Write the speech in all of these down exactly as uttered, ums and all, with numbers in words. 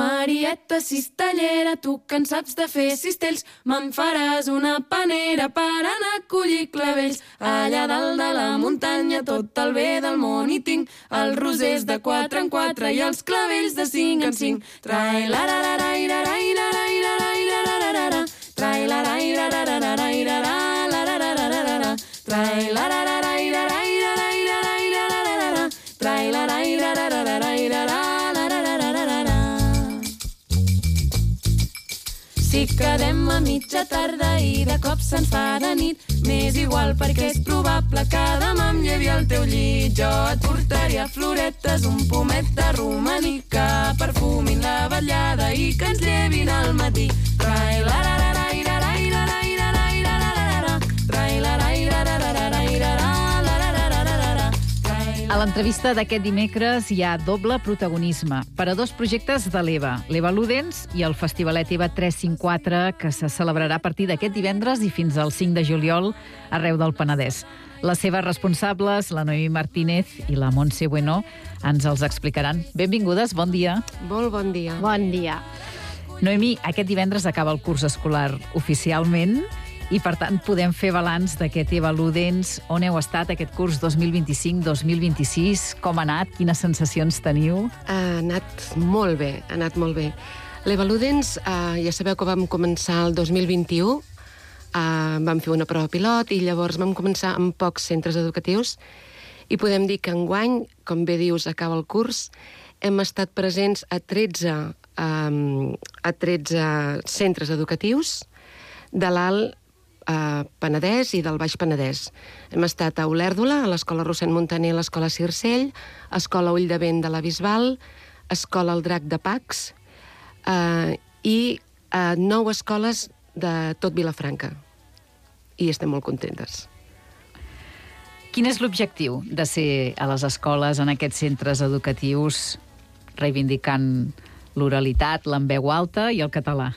Marieta cistellera, tu que en saps de fer cistells, me'n faràs una panera per anar a collir clavells. Allà dalt de la muntanya tot el bé del món hi tinc, els rosers de quatre en quatre i els clavells de cinc en cinc. Trai-la-ra-ra-ra-ra-ra-ra-ra-ra-ra-ra-ra-ra-ra-ra, trai-la-ra-ra-ra-ra-ra-ra-ra-ra-ra-ra-ra, trai-la-ra-ra-ra-ra-ra-ra-ra-ra-ra-ra-ra, trai-la-ra-ra-ra-ra-ra-ra-ra-ra-ra-ra. Si quedem a mitja tarda i de cop se'ns fa de nit, m'és igual perquè és probable que demà em llevi al teu llit. Jo et portaria floretes, un pomet de romaní que perfumin la vetllada i que ens llevin al matí. A l'entrevista d'aquest dimecres hi ha doble protagonisme per a dos projectes de l'Eva, l'Eva Ludens i el Festivalet Eva tres cinc quatre, que se celebrarà a partir d'aquest divendres i fins al cinc de juliol arreu del Penedès. Les seves responsables, la Noemí Martínez i la Montse Bueno, ens els explicaran. Benvingudes, bon dia. Molt bon dia. Bon dia. Noemí, aquest divendres acaba el curs escolar oficialment i, per tant, podem fer balanç d'aquest Eva Ludens. On heu estat aquest curs dos mil vint-i-cinc dos mil vint-i-sis? Com ha anat? Quines sensacions teniu? Ha anat molt bé, ha anat molt bé. L'Eva Ludens, eh, ja sabeu que vam començar el dos mil vint-i-u, eh, vam fer una prova pilot i llavors vam començar amb pocs centres educatius i podem dir que enguany, com bé dius, acaba el curs, hem estat presents a tretze, eh, a tretze centres educatius de l'Alt a Penedès i del Baix Penedès. Hem estat a Olèrdola, a l'Escola Rossend Montaner, a l'Escola Circell, a l'Escola Ull de Vent de la Bisbal, a l'Escola El Drac de Pacs eh, i a nou escoles de tot Vilafranca. I estem molt contentes. Quin és l'objectiu de ser a les escoles, en aquests centres educatius, reivindicant l'oralitat, l'enveu alta i el català?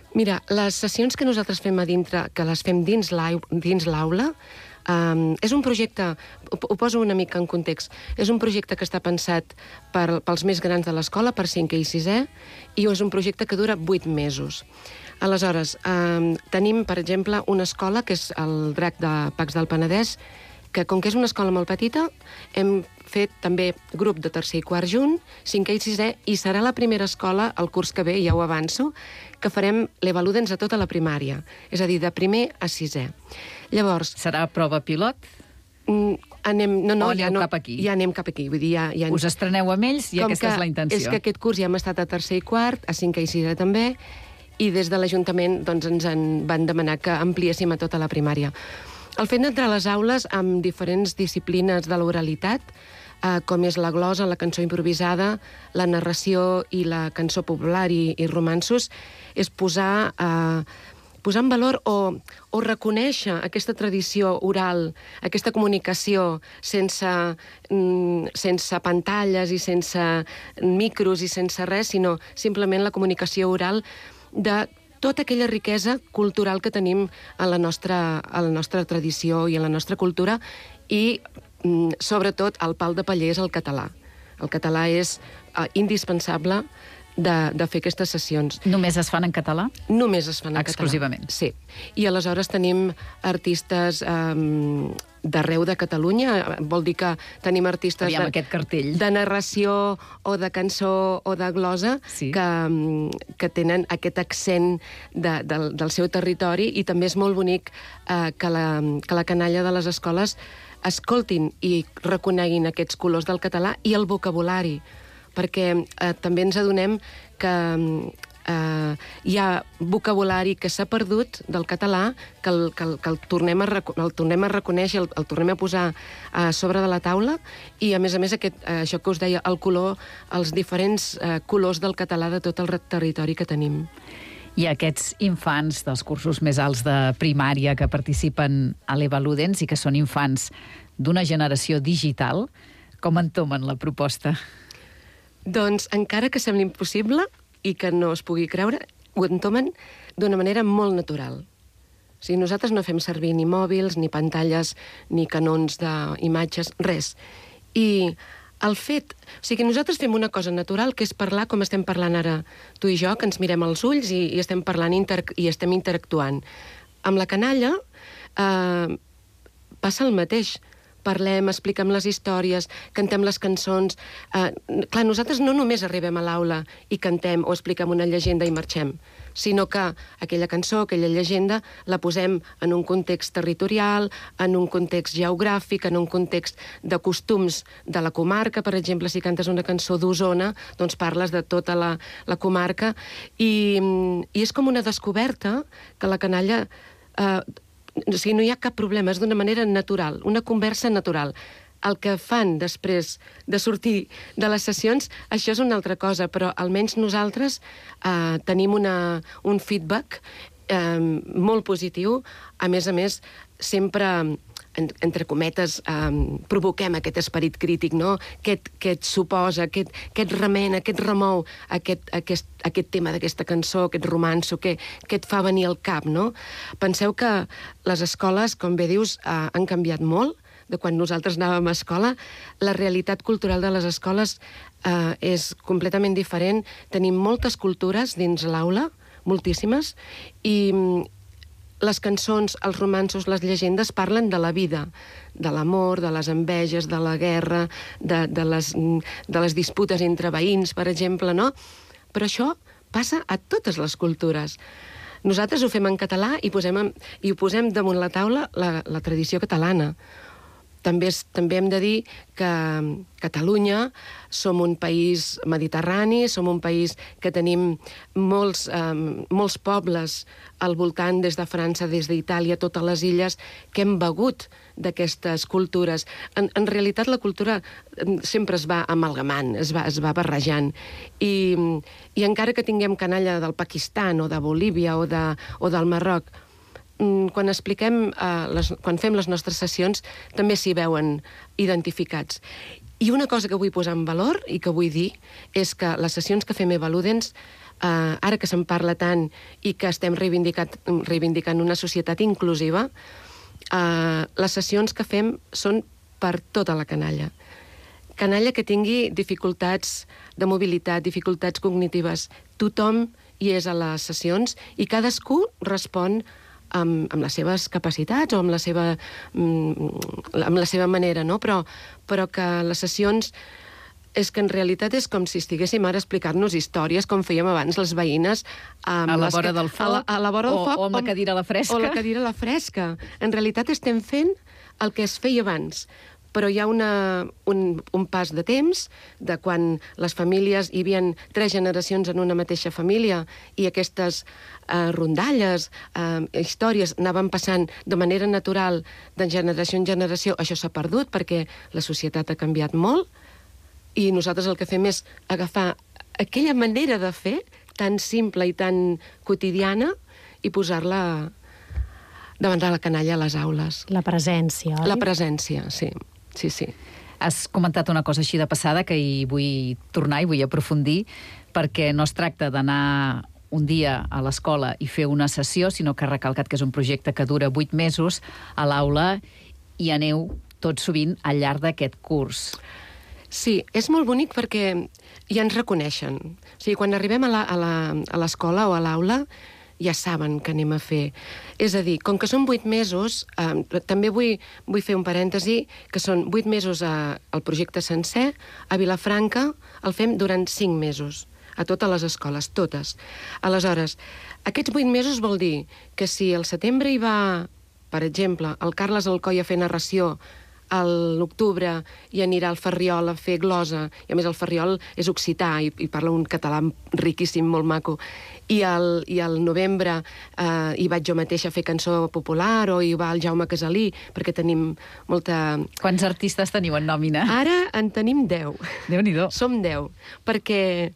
Mira, les sessions que nosaltres fem a dintre, que les fem dins l'aula, um, és un projecte, ho, ho poso una mica en context, és un projecte que està pensat per, pels més grans de l'escola, per cinquè i sisè, i és un projecte que dura vuit mesos. Aleshores, um, tenim, per exemple, una escola, que és el Drac de Pacs del Penedès, que com que és una escola molt petita, hem fet també grup de tercer i quart junt, cinquè i sisè, i serà la primera escola, el curs que ve, ja ho avanço, que farem l'Eva Ludens a tota la primària, és a dir, de primer a sisè. Llavors... Serà prova pilot? Anem, no, no, o aneu ja no, cap aquí? Ja anem cap aquí. Vull dir, ja, ja... Us estreneu amb ells i com aquesta és la intenció. És que aquest curs ja hem estat a tercer i quart, a cinquè i sisè també, i des de l'Ajuntament doncs, ens en van demanar que ampliéssim a tota la primària. El fet d'entrar a les aules amb diferents disciplines de l'oralitat, eh, com és la glosa, la cançó improvisada, la narració i la cançó popular i, i romanços, és posar, eh, posar en valor o, o reconèixer aquesta tradició oral, aquesta comunicació sense, mm, sense pantalles i sense micros i sense res, sinó simplement la comunicació oral de tota aquella riquesa cultural que tenim a la nostra, a la nostra tradició i a la nostra cultura i, mm, sobretot, el pal de paller és el català. El català és uh, indispensable de, de fer aquestes sessions. Només es fan en català? Només es fan en Exclusivament. català. Sí. I aleshores tenim artistes um, d'arreu de Catalunya, vol dir que tenim artistes Aviam, de, aquest cartell. de narració o de cançó o de glosa, sí, que, que tenen aquest accent de, del, del seu territori, i també és molt bonic eh, que, la, que la canalla de les escoles escoltin i reconeguin aquests colors del català i el vocabulari, perquè eh, també ens adonem que eh, hi ha vocabulari que s'ha perdut del català, que el, que el, que el, tornem, a, el tornem a reconèixer, el, el tornem a posar a sobre de la taula, i a més a més aquest, eh, això que us deia, el color, els diferents eh, colors del català de tot el territori que tenim. I aquests infants dels cursos més alts de primària que participen a l'Eva Ludens i que són infants d'una generació digital, com entomen la proposta? Doncs encara que sembli impossible i que no es pugui creure, ho entomen d'una manera molt natural. O sigui, nosaltres no fem servir ni mòbils, ni pantalles, ni canons d'imatges, res. I el fet... O sigui, nosaltres fem una cosa natural, que és parlar com estem parlant ara tu i jo, que ens mirem als ulls i, i estem parlant inter, i estem interactuant. Amb la canalla eh, passa el mateix. Parlem, expliquem les històries, cantem les cançons. Eh, clar, nosaltres no només arribem a l'aula i cantem o expliquem una llegenda i marxem, sinó que aquella cançó, aquella llegenda, la posem en un context territorial, en un context geogràfic, en un context de costums de la comarca. Per exemple, si cantes una cançó d'Osona, doncs parles de tota la, la comarca, i, i és com una descoberta que la canalla... Eh, o sigui, no hi ha cap problema, és d'una manera natural, una conversa natural. El que fan després de sortir de les sessions, això és una altra cosa, però almenys nosaltres eh, tenim una, un feedback eh, molt positiu. A més a més, sempre, en, entre cometes, eh, provoquem aquest esperit crític, no? Què et, què et suposa, què et, què et remena, què et remou aquest, aquest, aquest tema d'aquesta cançó, aquest romanço, què, què et fa venir al cap, no? Penseu que les escoles, com bé dius, eh, han canviat molt de quan nosaltres anàvem a escola. La realitat cultural de les escoles eh, és completament diferent. Tenim moltes cultures dins l'aula, moltíssimes, i les cançons, els romanços, les llegendes parlen de la vida, de l'amor, de les enveges, de la guerra, de, de, les, de les disputes entre veïns, per exemple, no? Però això passa a totes les cultures. Nosaltres ho fem en català i, posem, i ho posem damunt la taula la, la tradició catalana. També, és, també hem de dir que Catalunya som un país mediterrani, som un país que tenim molts, eh, molts pobles al voltant, des de França, des d'Itàlia, totes les illes, que hem begut d'aquestes cultures. En, en realitat, la cultura sempre es va amalgamant, es va, es va barrejant. I, I encara que tinguem canalla del Pakistan o de Bolívia o, de, o del Marroc, quan expliquem, eh, les, quan fem les nostres sessions, també s'hi veuen identificats. I una cosa que vull posar en valor i que vull dir és que les sessions que fem Eva Ludens, eh, ara que se'n parla tant i que estem reivindicant una societat inclusiva, eh, les sessions que fem són per tota la canalla. Canalla que tingui dificultats de mobilitat, dificultats cognitives. Tothom hi és a les sessions i cadascú respon Amb, amb les seves capacitats o amb la seva, amb la seva manera, no? Però, però que les sessions és que en realitat és com si estiguéssim ara a explicar-nos històries com fèiem abans les veïnes a la vora del foc, a la, a la vora del o, foc o amb la cadira a la fresca. O la cadira a la fresca. En realitat estem fent el que es feia abans, però hi ha una, un, un pas de temps de quan les famílies, hi havia tres generacions en una mateixa família i aquestes eh, rondalles, eh, històries anaven passant de manera natural de generació en generació. Això s'ha perdut perquè la societat ha canviat molt i nosaltres el que fem és agafar aquella manera de fer tan simple i tan quotidiana i posar-la davant de la canalla a les aules. La presència, oi? La presència, sí. Sí, sí. Has comentat una cosa així de passada que hi vull tornar i vull aprofundir, perquè no es tracta d'anar un dia a l'escola i fer una sessió, sinó que ha recalcat que és un projecte que dura vuit mesos a l'aula i aneu tot sovint al llarg d'aquest curs. Sí, és molt bonic perquè ja ens reconeixen. O sigui, quan arribem a l'escola o a l'aula, ja saben què anem a fer. És a dir, com que són vuit mesos, eh, també vull, vull fer un parèntesi, que són vuit mesos a, al projecte sencer, a Vilafranca el fem durant cinc mesos, a totes les escoles, totes. Aleshores, aquests vuit mesos vol dir que si al setembre hi va, per exemple, el Carles Alcoi a fer narració, a l'octubre hi anirà al Ferriol a fer glosa, i a més el Ferriol és occità i, i parla un català riquíssim, molt maco, i al, i al novembre eh, hi vaig jo mateixa a fer cançó popular o hi va el Jaume Casalí, perquè tenim molta... Quants artistes teniu en nòmina? Ara en tenim deu. Déu-n'hi-do. Som deu, perquè...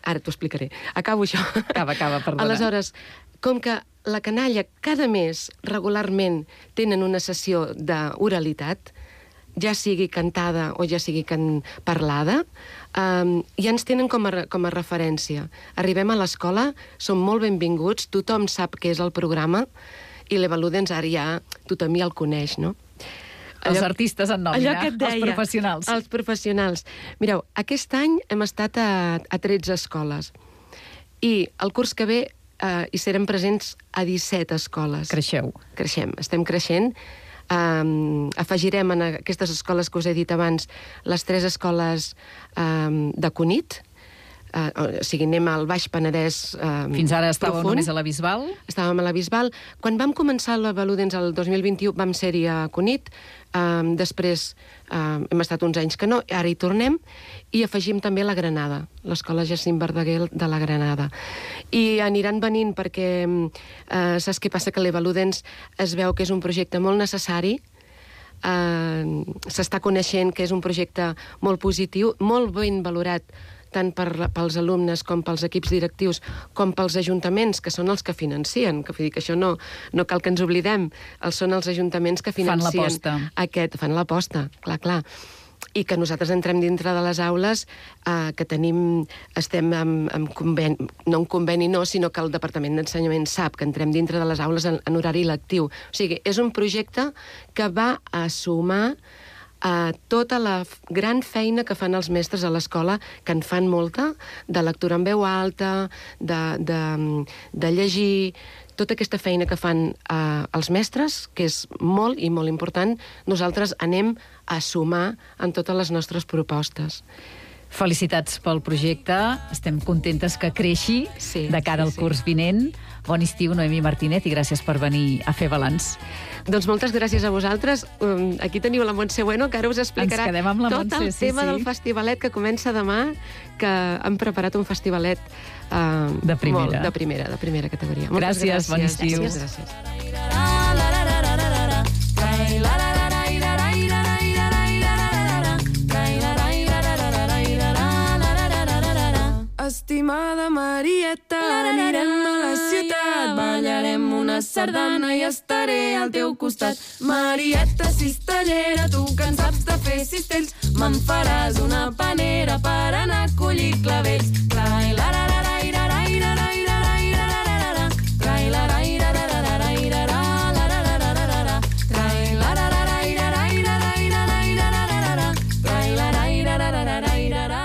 Ara t'ho explicaré. Acabo això. Acaba, acaba, perdona. Aleshores, com que la canalla cada mes regularment tenen una sessió d'oralitat, ja sigui cantada o ja sigui can... parlada, um, ja ens tenen com a, com a referència. Arribem a l'escola, som molt benvinguts, tothom sap què és el programa, i l'Eva Ludens ara ja tothom ja el coneix, no? Els artistes en nòmina, allò que et deia, els professionals. Els professionals. Mireu, aquest any hem estat a, a tretze escoles i el curs que ve eh, hi serem presents a disset escoles. Creixeu. Creixem, estem creixent. Um, afegirem en aquestes escoles que us he dit abans les tres escoles um, de Cunit, uh, o sigui, anem al Baix Penedès um, Fins ara estàveu profund. només a la Bisbal? Estàvem a la Bisbal. Quan vam començar la Valudens el dos mil vint-i-u vam ser-hi a Cunit, um, després um, hem estat uns anys que no, ara hi tornem, i afegim també la Granada, l'escola Jacint Verdaguer de la Granada. I aniran venint perquè eh, saps què passa? Que l'Evaludens es veu que és un projecte molt necessari, eh, s'està coneixent que és un projecte molt positiu, molt ben valorat tant per, pels alumnes com pels equips directius com pels ajuntaments, que són els que financien, que, vull dir que això no, no cal que ens oblidem, els són els ajuntaments que financien fan l'aposta. Aquest, fan l'aposta, clar, clar. I que nosaltres entrem dintre de les aules, eh, que tenim, estem amb, amb conveni, no un conveni no, sinó que el Departament d'Ensenyament sap que entrem dintre de les aules en, en horari lectiu. O sigui, és un projecte que va a sumar a tota la gran feina que fan els mestres a l'escola, que en fan molta, de lectura en veu alta, de, de, de llegir, tota aquesta feina que fan eh, els mestres, que és molt i molt important, nosaltres anem a sumar en totes les nostres propostes. Felicitats pel projecte, estem contentes que creixi Sí, de cara sí, al sí. curs vinent. Bon estiu, Noemí Martínez, i gràcies per venir a fer balanç. Doncs moltes gràcies a vosaltres. Um, aquí teniu la Montse Bueno, que ara us explicarà Ens quedem amb la tot Montse, el sí, tema sí. del festivalet que comença demà, que han preparat un festivalet uh, De primera. Molt, de primera, de primera categoria. Moltes Gràcies, gràcies, bon estiu. Gràcies, gràcies. Estimada Marieta, anirem a la ciutat, ballarem una sardana i estaré al teu costat. Marieta cistellera, tu que en saps de fer cistells, me'n faràs una panera per anar a collir clavells. Clai, la, la, la, la, la, la, la, la, la, la, la, la, clai, la, la, la, la, la, la, la, la, la, la, la, la, la, la, clai, la, la, la, la, la, la, la, la, la, la, la, la, clai, la, la, la, la, la, la, la, la.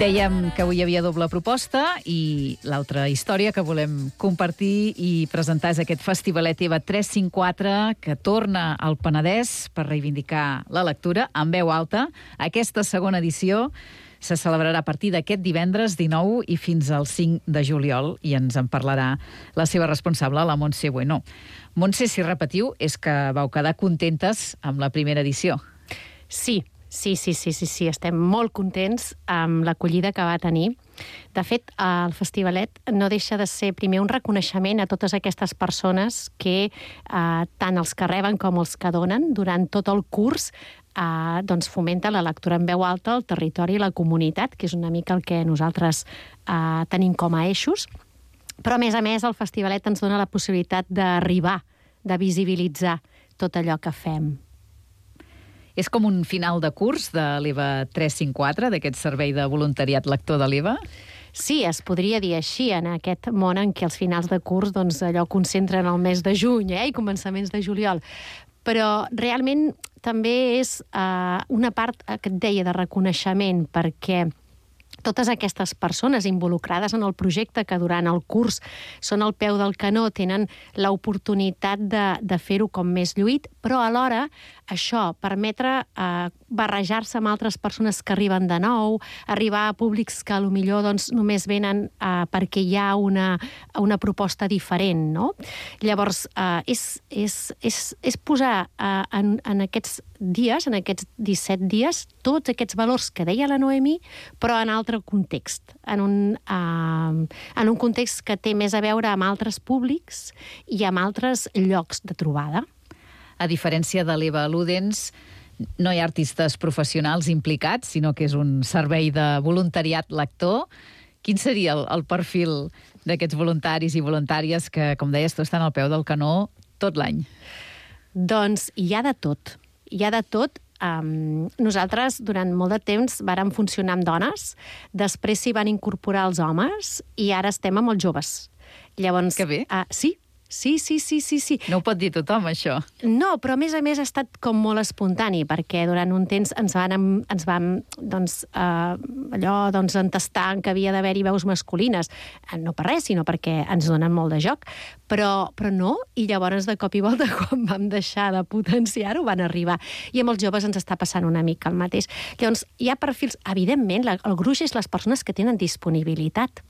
Dèiem que avui hi havia doble proposta i l'altra història que volem compartir i presentar és aquest festivalet EVA tres cinc quatre que torna al Penedès per reivindicar la lectura en veu alta. Aquesta segona edició se celebrarà a partir d'aquest divendres dinou i fins al cinc de juliol i ens en parlarà la seva responsable, la Montse Bueno. Montse, si repetiu, és que vau quedar contentes amb la primera edició. Sí, sí, sí, sí, sí, sí. Estem molt contents amb l'acollida que va tenir. De fet, el festivalet no deixa de ser primer un reconeixement a totes aquestes persones que eh, tant els que reben com els que donen durant tot el curs eh, doncs fomenta la lectura en veu alta al territori i la comunitat, que és una mica el que nosaltres eh, tenim com a eixos. Però, a més a més, el festivalet ens dona la possibilitat d'arribar, de visibilitzar tot allò que fem. És com un final de curs de l'EVA tres cinc quatre, d'aquest servei de voluntariat lector de l'EVA? Sí, es podria dir així, en aquest món en què els finals de curs doncs, allò concentren el mes de juny eh, i començaments de juliol. Però realment també és eh, una part que et deia de reconeixement, perquè totes aquestes persones involucrades en el projecte que durant el curs són al peu del canó, tenen l'oportunitat de, de fer-ho com més lluït, però alhora això, permetre eh, barrejar-se amb altres persones que arriben de nou, arribar a públics que potser doncs, només venen eh, perquè hi ha una, una proposta diferent, no? Llavors, eh, és, és, és, és posar eh, en, en aquests dies, en aquests disset dies, tots aquests valors que deia la Noemí, però en altre context, en un, eh, en un context que té més a veure amb altres públics i amb altres llocs de trobada. A diferència de l'EVA Ludens, no hi ha artistes professionals implicats, sinó que és un servei de voluntariat lector. Quin seria el, el perfil d'aquests voluntaris i voluntàries que, com deies, tu estan al peu del canó tot l'any? Doncs hi ha de tot. Hi ha de tot. Um, nosaltres, durant molt de temps, vàrem funcionar amb dones, després s'hi van incorporar els homes i ara estem amb els joves. Llavors, que bé. Uh, sí, Sí, sí, sí, sí, sí. No ho pot dir tothom, això. No, però a més a més ha estat com molt espontani, perquè durant un temps ens van, ens vam doncs, eh, allò, doncs, entestar que havia d'haver-hi veus masculines. No per res, sinó perquè ens donen molt de joc. Però, però no, i llavors de cop i volta, quan vam deixar de potenciar-ho, van arribar. I amb els joves ens està passant una mica el mateix. Llavors, hi ha perfils... Evidentment, el gruix és les persones que tenen disponibilitat.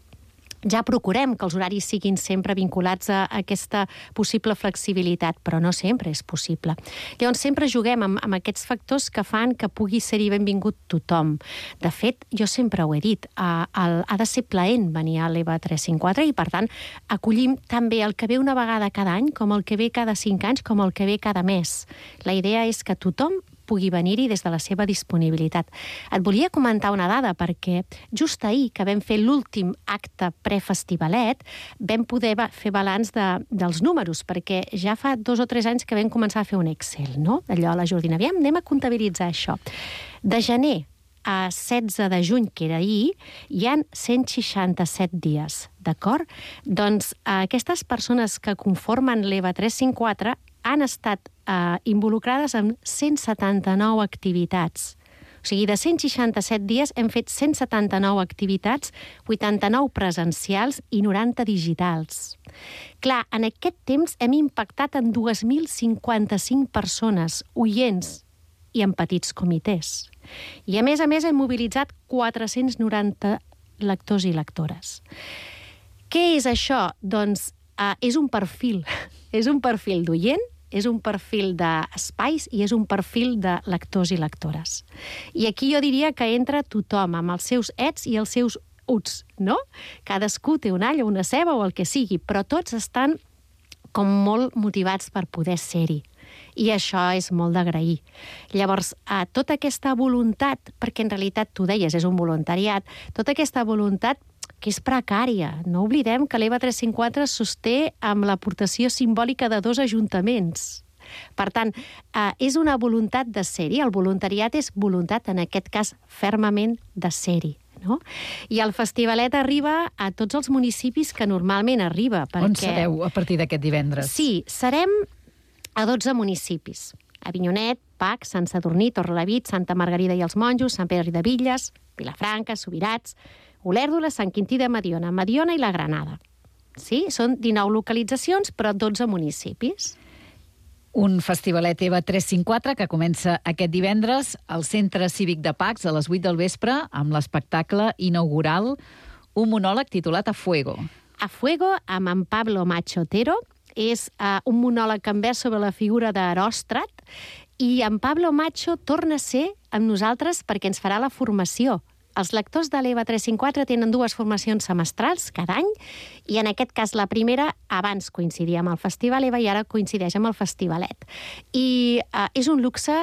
Ja procurem que els horaris siguin sempre vinculats a aquesta possible flexibilitat, però no sempre és possible. Llavors, sempre juguem amb, amb aquests factors que fan que pugui ser-hi benvingut tothom. De fet, jo sempre ho he dit, eh, el, ha de ser plaent venir a l'E V A tres cinc quatre i, per tant, acollim també el que ve una vegada cada any, com el que ve cada cinc anys, com el que ve cada mes. La idea és que tothom pugui venir-hi des de la seva disponibilitat. Et volia comentar una dada, perquè just ahir que vam fer l'últim acte prefestivalet, vam poder fer balanç de, dels números, perquè ja fa dos o tres anys que vam començar a fer un Excel, no? Allò a la Jordina. Aviam, anem a comptabilitzar això. De gener a setze de juny, que era ahir, hi ha cent seixanta-set dies, d'acord? Doncs eh, aquestes persones que conformen l'E V A tres cinc quatre han estat eh, involucrades en cent setanta-nou activitats. O sigui, de cent seixanta-set dies hem fet cent setanta-nou activitats, vuitanta-nou presencials i noranta digitals. Clar, en aquest temps hem impactat en dos mil cinquanta-cinc persones, oients i en petits comitès. I a més a més hem mobilitzat quatre-cents noranta lectors i lectores. Què és això? Doncs eh, és un perfil. És un perfil d'oient, és un perfil d'espais i és un perfil de lectors i lectores. I aquí jo diria que entra tothom, amb els seus ets i els seus uts, no? Cadascú té un all o una ceba o el que sigui, però tots estan com molt motivats per poder ser-hi. I això és molt d'agrair. Llavors, eh, tota aquesta voluntat, perquè en realitat tu deies, és un voluntariat, tota aquesta voluntat que és precària. No oblidem que l'E V A tres cinc quatre es sosté amb l'aportació simbòlica de dos ajuntaments. Per tant, eh, és una voluntat de ser-hi. El voluntariat és voluntat, en aquest cas, fermament de ser-hi. No? I el festivalet arriba a tots els municipis que normalment arriba. Perquè... On sereu a partir d'aquest divendres? Sí, serem a dotze municipis. Avinyonet, Pac, Sant Sadurní, Torrelavit, Santa Margarida i els Monjos, Sant Pere de Villas, Vilafranca, Subirats, Olèrdola, Sant Quintí de Mediona, Mediona i la Granada. Sí? Són dinou localitzacions, però dotze municipis. Un festivalet E V A tres cinc quatre que comença aquest divendres al Centre Cívic de Pacs a les vuit del vespre amb l'espectacle inaugural, un monòleg titulat A Fuego. A Fuego, amb en Pablo Macho Otero, és uh, un monòleg envers sobre la figura d'Heròstrat, i en Pablo Macho torna a ser amb nosaltres perquè ens farà la formació. Els lectors de l'E V A tres cinc quatre tenen dues formacions semestrals cada any, i en aquest cas la primera abans coincidia amb el Festival E V A i ara coincideix amb el Festivalet. I uh, és un luxe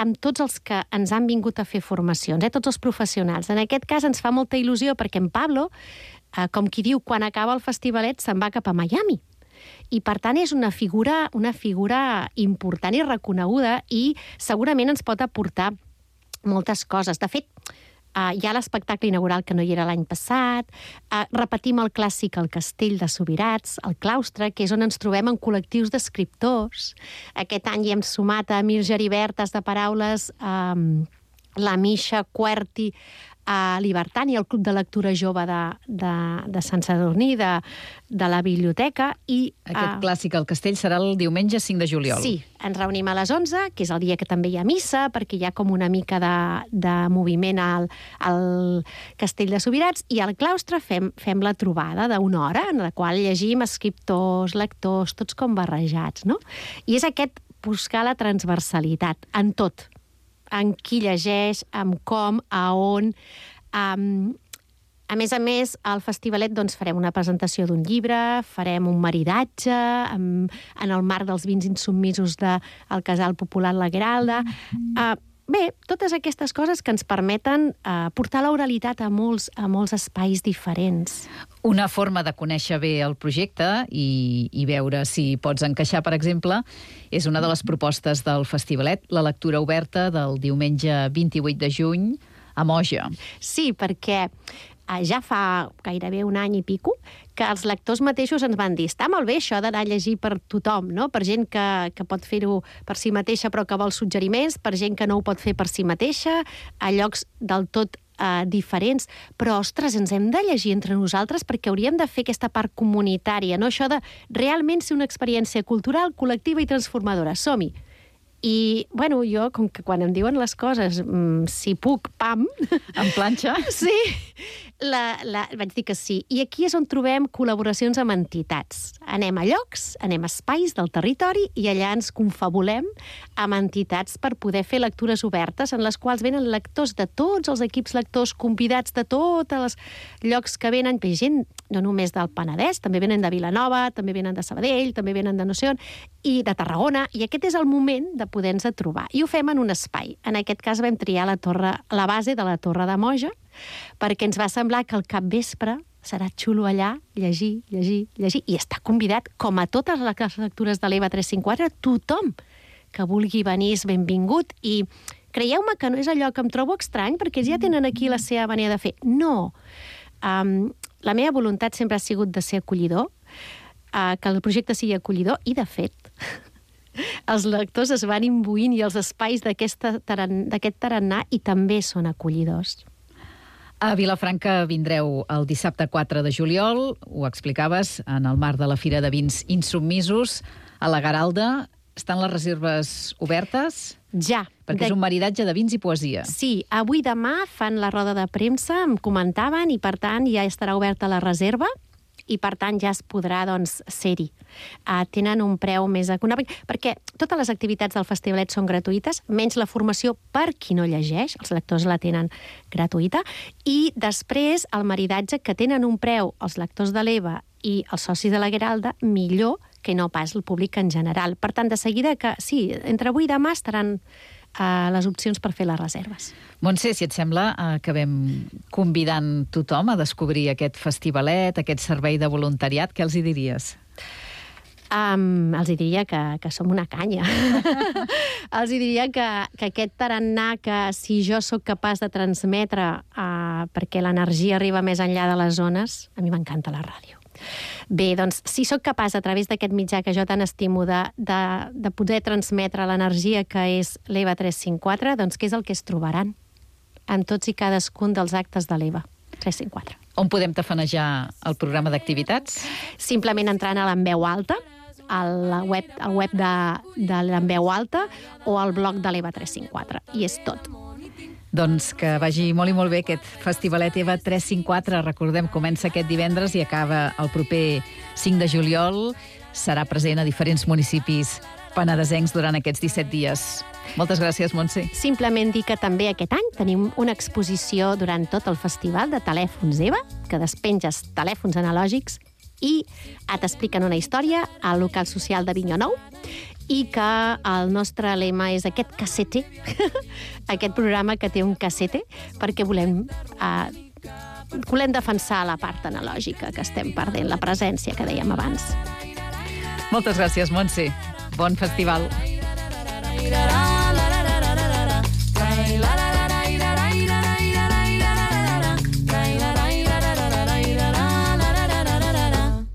amb tots els que ens han vingut a fer formacions, eh, tots els professionals. En aquest cas ens fa molta il·lusió perquè en Pablo, uh, com qui diu, quan acaba el Festivalet se'n va cap a Miami. I, per tant, és una figura, una figura important i reconeguda i segurament ens pot aportar moltes coses. De fet, Uh, hi ha l'espectacle inaugural que no hi era l'any passat, uh, repetim el clàssic El Castell de Subirats, el claustre, que és on ens trobem en col·lectius d'escriptors. Aquest any hi hem sumat a Mir Geribertas de Paraules, um, la Misha Querti, a Libertani, el Club de Lectura Jove de, de, de Sant Sadurní, de, de la biblioteca. I, Aquest uh, clàssic al castell serà el diumenge cinc de juliol. Sí, ens reunim a les onze, que és el dia que també hi ha missa, perquè hi ha com una mica de, de moviment al, al Castell de Subirats, i al claustre fem, fem la trobada d'una hora, en la qual llegim escriptors, lectors, tots com barrejats, no? I és aquest buscar la transversalitat en tot, en qui llegeix, amb com, a on. Um, a més a més, al Festivalet doncs, farem una presentació d'un llibre, farem un maridatge um, en el marc dels vins insubmisos del Casal Popular La Gueralda. Uh, bé, totes aquestes coses que ens permeten uh, portar l'oralitat a molts, a molts espais diferents. Una forma de conèixer bé el projecte i, i veure si pots encaixar, per exemple, és una de les propostes del Festivalet, la lectura oberta del diumenge vint-i-vuit de juny a Moja. Sí, perquè ja fa gairebé un any i pico, que els lectors mateixos ens van dir està molt bé això d'anar a llegir per tothom, no? Per gent que, que pot fer-ho per si mateixa però que vol suggeriments, per gent que no ho pot fer per si mateixa, a llocs del tot uh, diferents, però, ostres, ens hem de llegir entre nosaltres perquè hauríem de fer aquesta part comunitària, no? Això de realment ser una experiència cultural, col·lectiva i transformadora. Som-hi! I, bueno, jo, com que quan em diuen les coses, mmm, si puc, pam... En planxa? Sí, la, la, vaig dir que sí. I aquí és on trobem col·laboracions amb entitats. Anem a llocs, anem a espais del territori i allà ens confabulem amb entitats per poder fer lectures obertes en les quals venen lectors de tots els equips lectors, convidats de tots els llocs que venen, gent no només del Penedès, també venen de Vilanova, també venen de Sabadell, també venen de no sé on, i de Tarragona, i aquest és el moment de poder-nos trobar. I ho fem en un espai. En aquest cas vam triar la, torre, la base de la Torre de Moja, perquè ens va semblar que al capvespre serà xulo allà, llegir, llegir, llegir, i està convidat, com a totes les lectures de l'E V A tres cinquanta, tothom que vulgui venir és benvingut, i creieu-me que no és allò que em trobo estrany, perquè ja tenen aquí la seva manera de fer. No. Um, la meva voluntat sempre ha sigut de ser acollidor, uh, que el projecte sigui acollidor, i de fet els lectors es van imbuint i els espais d'aquest taran, tarannà i també són acollidors. A Vilafranca vindreu el dissabte quatre de juliol, ho explicaves, en el marc de la Fira de Vins Insubmisos, a la Garalda. Estan les reserves obertes? Ja. Perquè de... és un maridatge de vins i poesia. Sí, avui demà fan la roda de premsa, em comentaven, i per tant ja estarà oberta la reserva, i per tant ja es podrà, doncs, ser-hi. Uh, tenen un preu més econòmic, perquè totes les activitats del festivalet són gratuïtes, menys la formació per qui no llegeix, els lectors la tenen gratuïta, i després el maridatge, que tenen un preu els lectors de l'E V A i els socis de la Garalda, millor que no pas el públic en general. Per tant, de seguida que, sí, entre avui i demà estaran uh, les opcions per fer les reserves. Montse, si et sembla, acabem convidant tothom a descobrir aquest festivalet, aquest servei de voluntariat. Què els hi diries? Um, els hi diria que, que som una canya. Els hi diria que, que aquest tarannà que si jo sóc capaç de transmetre uh, perquè l'energia arriba més enllà de les zones, a mi m'encanta la ràdio. Bé, doncs, si sóc capaç, a través d'aquest mitjà que jo tant estimo, de, de, de poder transmetre l'energia que és l'E V A tres cinquanta, doncs què és el que es trobaran en tots i cadascun dels actes de l'E V A tres cinquanta. On podem tafanejar el programa d'activitats? Simplement entrant a l'Enveu Alta, al web, al web de, de l'Enveu Alta, o al blog de l'E V A tres cinquanta, i és tot. Doncs que vagi molt i molt bé aquest festivalet E V A tres cinquanta. Recordem, comença aquest divendres i acaba el proper cinc de juliol. Serà present a diferents municipis penedesencs durant aquests disset dies. Moltes gràcies, Montse. Simplement dir que també aquest any tenim una exposició durant tot el festival de telèfons E V A, que despenges telèfons analògics i t'expliquen una història al local social de Vinyó Nou, i que el nostre lema és aquest cassete, aquest programa que té un cassete, perquè volem, eh, volem defensar la part analògica que estem perdent, la presència que dèiem abans. Moltes gràcies, Montse. Bon festival.